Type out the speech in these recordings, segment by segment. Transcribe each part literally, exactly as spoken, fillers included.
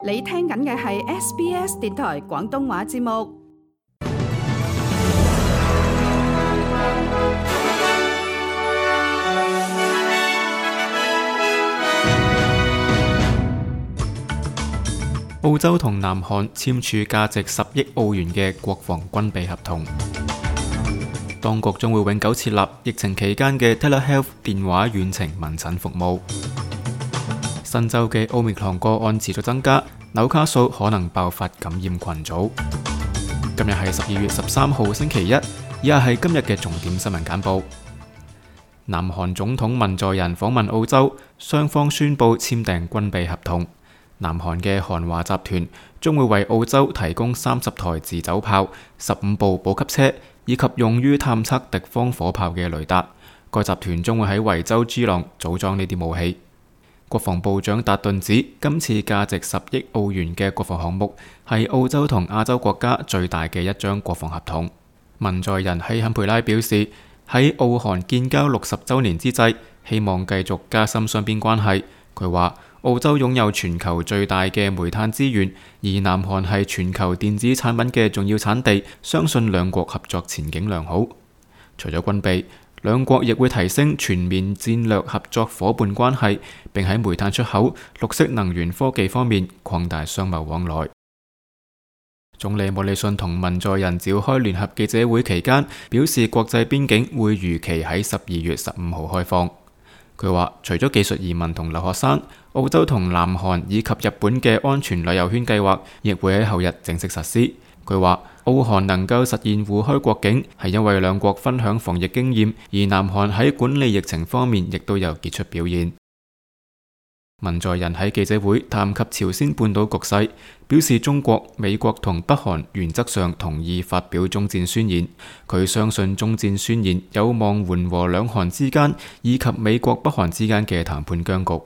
你聽緊嘅係 S B S 電台廣東話節目。澳洲同南韓簽署價值十億澳元嘅國防軍備合同，當局將會永久設立疫情期間嘅 Telehealth 電話遠程問診服務。新州嘅奧密克戎個案持續增加，紐卡素可能爆發感染群組。今日係十二月十三號星期一，以下係今日嘅重點新聞簡報。南韓總統文在寅訪問澳洲，雙方宣布簽訂軍備合同。南韓嘅韓華集團將會為澳洲提供三十台自走炮、十五部補給車以及用於探測敵方火炮嘅雷達。該集團將會喺維州 G 浪組裝呢啲武器。國防部長達頓指，今次價值十億澳元嘅國防項目係澳洲同亞洲國家最大嘅一張國防合同。文在寅喺坎培拉表示，喺澳韓建交六十週年之際，希望繼續加深雙邊關係。佢話，澳洲擁有全球最大嘅煤炭資源，而南韓係全球電子產品嘅重要產地，相信兩國合作前景良好。除咗軍備，兩國亦會提升全面戰略合作伙伴關係，並喺煤炭出口、綠色能源科技方面擴大商貿往來。總理莫里遜同文在寅召開聯合記者會期間，表示國際邊境會如期喺十二月十五號開放。佢話，除咗技術移民同留學生，澳洲同南韓以及日本嘅安全旅遊圈計劃亦會喺後日正式實施。佢話，澳韓能夠實現互開國境，係因為兩國分享防疫經驗，而南韓喺管理疫情方面亦都有傑出表現。文在寅喺記者會談及朝鮮半島局勢，表示中國、美國同北韓原則上同意發表終戰宣言。佢相信終戰宣言有望緩和兩韓之間以及美國北韓之間嘅談判僵局。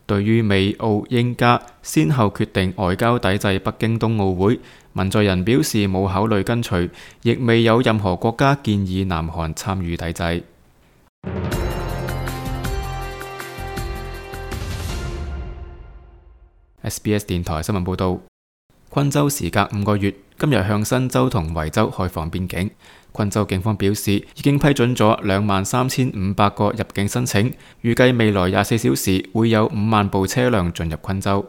對於美澳英加先後決定外交抵制北京冬奧會，文在寅表示冇考慮跟隨，亦未有任何國家建議南韓參與抵制。S B S 電台新聞報道，昆州時隔五個月，今日向新州同維州開放邊境。昆州警方表示，已經批准咗兩萬三千五百個入境申請，預計未來廿四小時會有五萬部車輛進入昆州。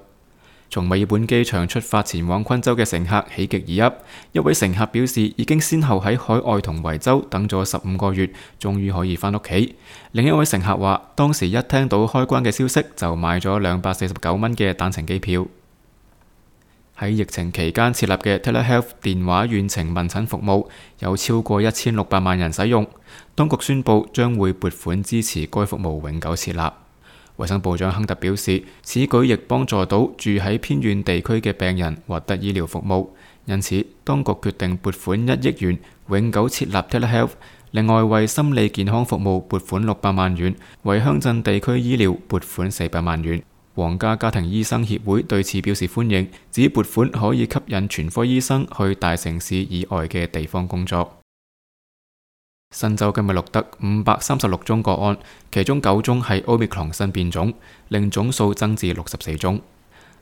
從墨爾本機場出發前往昆州嘅乘客喜極而泣，一位乘客表示已經先後喺海外同維州等咗十五個月，終於可以返屋企。另一位乘客話，當時一聽到開關嘅消息就買咗兩百四十九蚊嘅單程機票。喺疫情期間設立嘅 Telehealth 電話遠程問診服務有超過一千六百萬人使用，當局宣布將會撥款支持該服務永久設立。衛生部長亨特表示，此舉亦幫助到住喺偏遠地區嘅病人獲得醫療服務，因此當局決定撥款一億元永久設立 Telehealth。另外為心理健康服務撥款六百萬元，為鄉鎮地區醫療撥款四百萬元。皇家家庭醫生協會對此表示歡迎，指撥款可以吸引全科醫生去大城市以外嘅地方工作。新州今日錄得五百三十六宗個案，其中九宗係奧密克戎新變種，令總數增至六十四宗。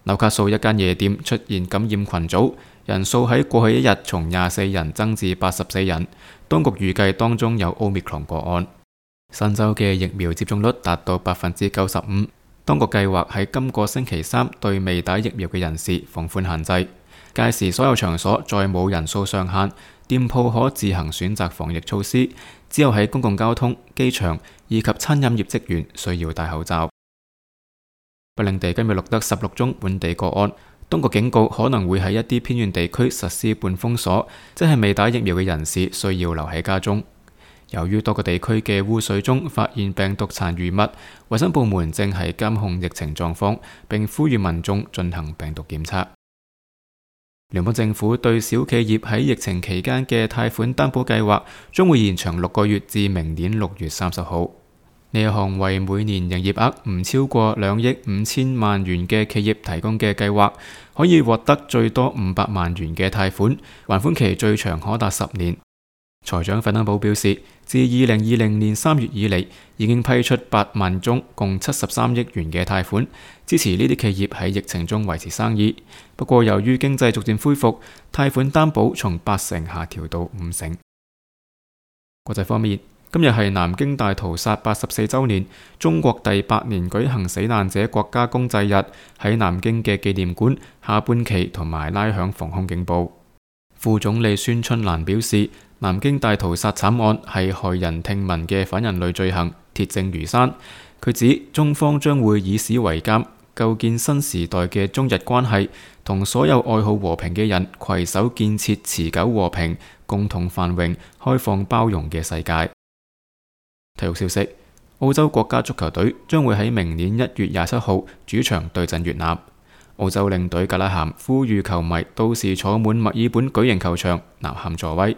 紐卡素一間夜店出現感染群組，人數喺過去一日從廿四人增至八十四人，當局預計當中有奧密克戎個案。新州嘅疫苗接種率達到百分之九十五，當局計劃喺今個星期三對未打疫苗嘅人士放寬限制，屆時所有場所再冇人數上限。店鋪可自行選擇防疫措施，只有喺公共交通、機場以及餐飲業職員需要戴口罩。北領地今日錄得十六宗本地個案，當局警告可能會喺一啲偏遠地區實施半封鎖，即係未打疫苗嘅人士需要留喺家中。由於多個地區嘅污水中發現病毒殘餘物，衛生部門正係監控疫情狀況，並呼籲民眾進行病毒檢測。聯邦政府對小企業喺疫情期間嘅貸款擔保計劃將會延長六個月至明年六月三十號。呢一項為每年營業額唔超過兩億五千萬元嘅企業提供嘅計劃，可以獲得最多五百萬元嘅貸款，還款期最長可達十年。財長費登堡表示，自二零二零年三月以嚟，已經批出八萬宗共七十三億元嘅貸款，支持呢啲企業喺疫情中維持生意。不過，由於經濟逐漸恢復，貸款擔保從八成下調到五成。國際方面，今日係南京大屠殺八十四週年，中國第八年舉行死難者國家公祭日，喺南京嘅紀念館下半旗同埋拉響防空警報。副總理孫春蘭表示，南京大屠殺慘案係駭人聽聞嘅反人類罪行，鐵證如山。佢指中方將會以史為鑑，構建新時代嘅中日關係，同所有愛好和平嘅人攜手建設持久和平、共同繁榮、開放包容嘅世界。體育消息：澳洲國家足球隊將會喺明年一月廿七號主場對陣越南。澳洲領隊格拉咸呼籲球迷到時坐滿墨爾本巨型球場，吶喊助威。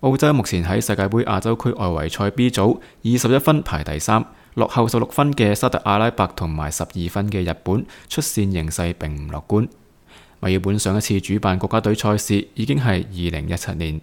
澳洲目前喺世界盃亞洲區外圍賽 B 組，二十一分排第三，落後十六分嘅沙特阿拉伯同埋十二分嘅日本，出線形勢並唔樂觀。墨爾本上一次主辦國家隊賽事已經係二零一七年。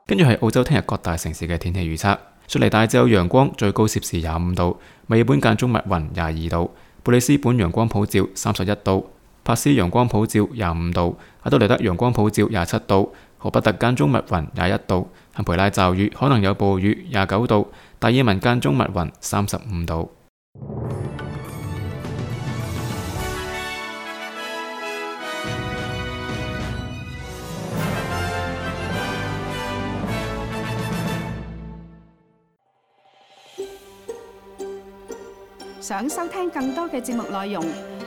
跟住係澳洲聽日各大城市嘅天氣預測。雪梨大致有陽光，最高攝氏廿五度；墨爾本間中密雲，廿二度；布里斯本陽光普照，三十一度；珀斯陽光普照，廿五度；阿德萊德陽光普照，廿七度；荷伯特間中密雲，廿一度；坎培拉驟雨，可能有暴雨，廿九度；達爾文間中密雲，三十五度。想收聽更多嘅節目內容，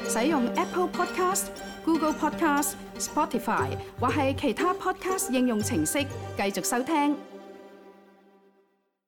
使用 Apple Podcast、Google Podcast、Spotify 或係其他 Podcast 應用程式繼續收聽。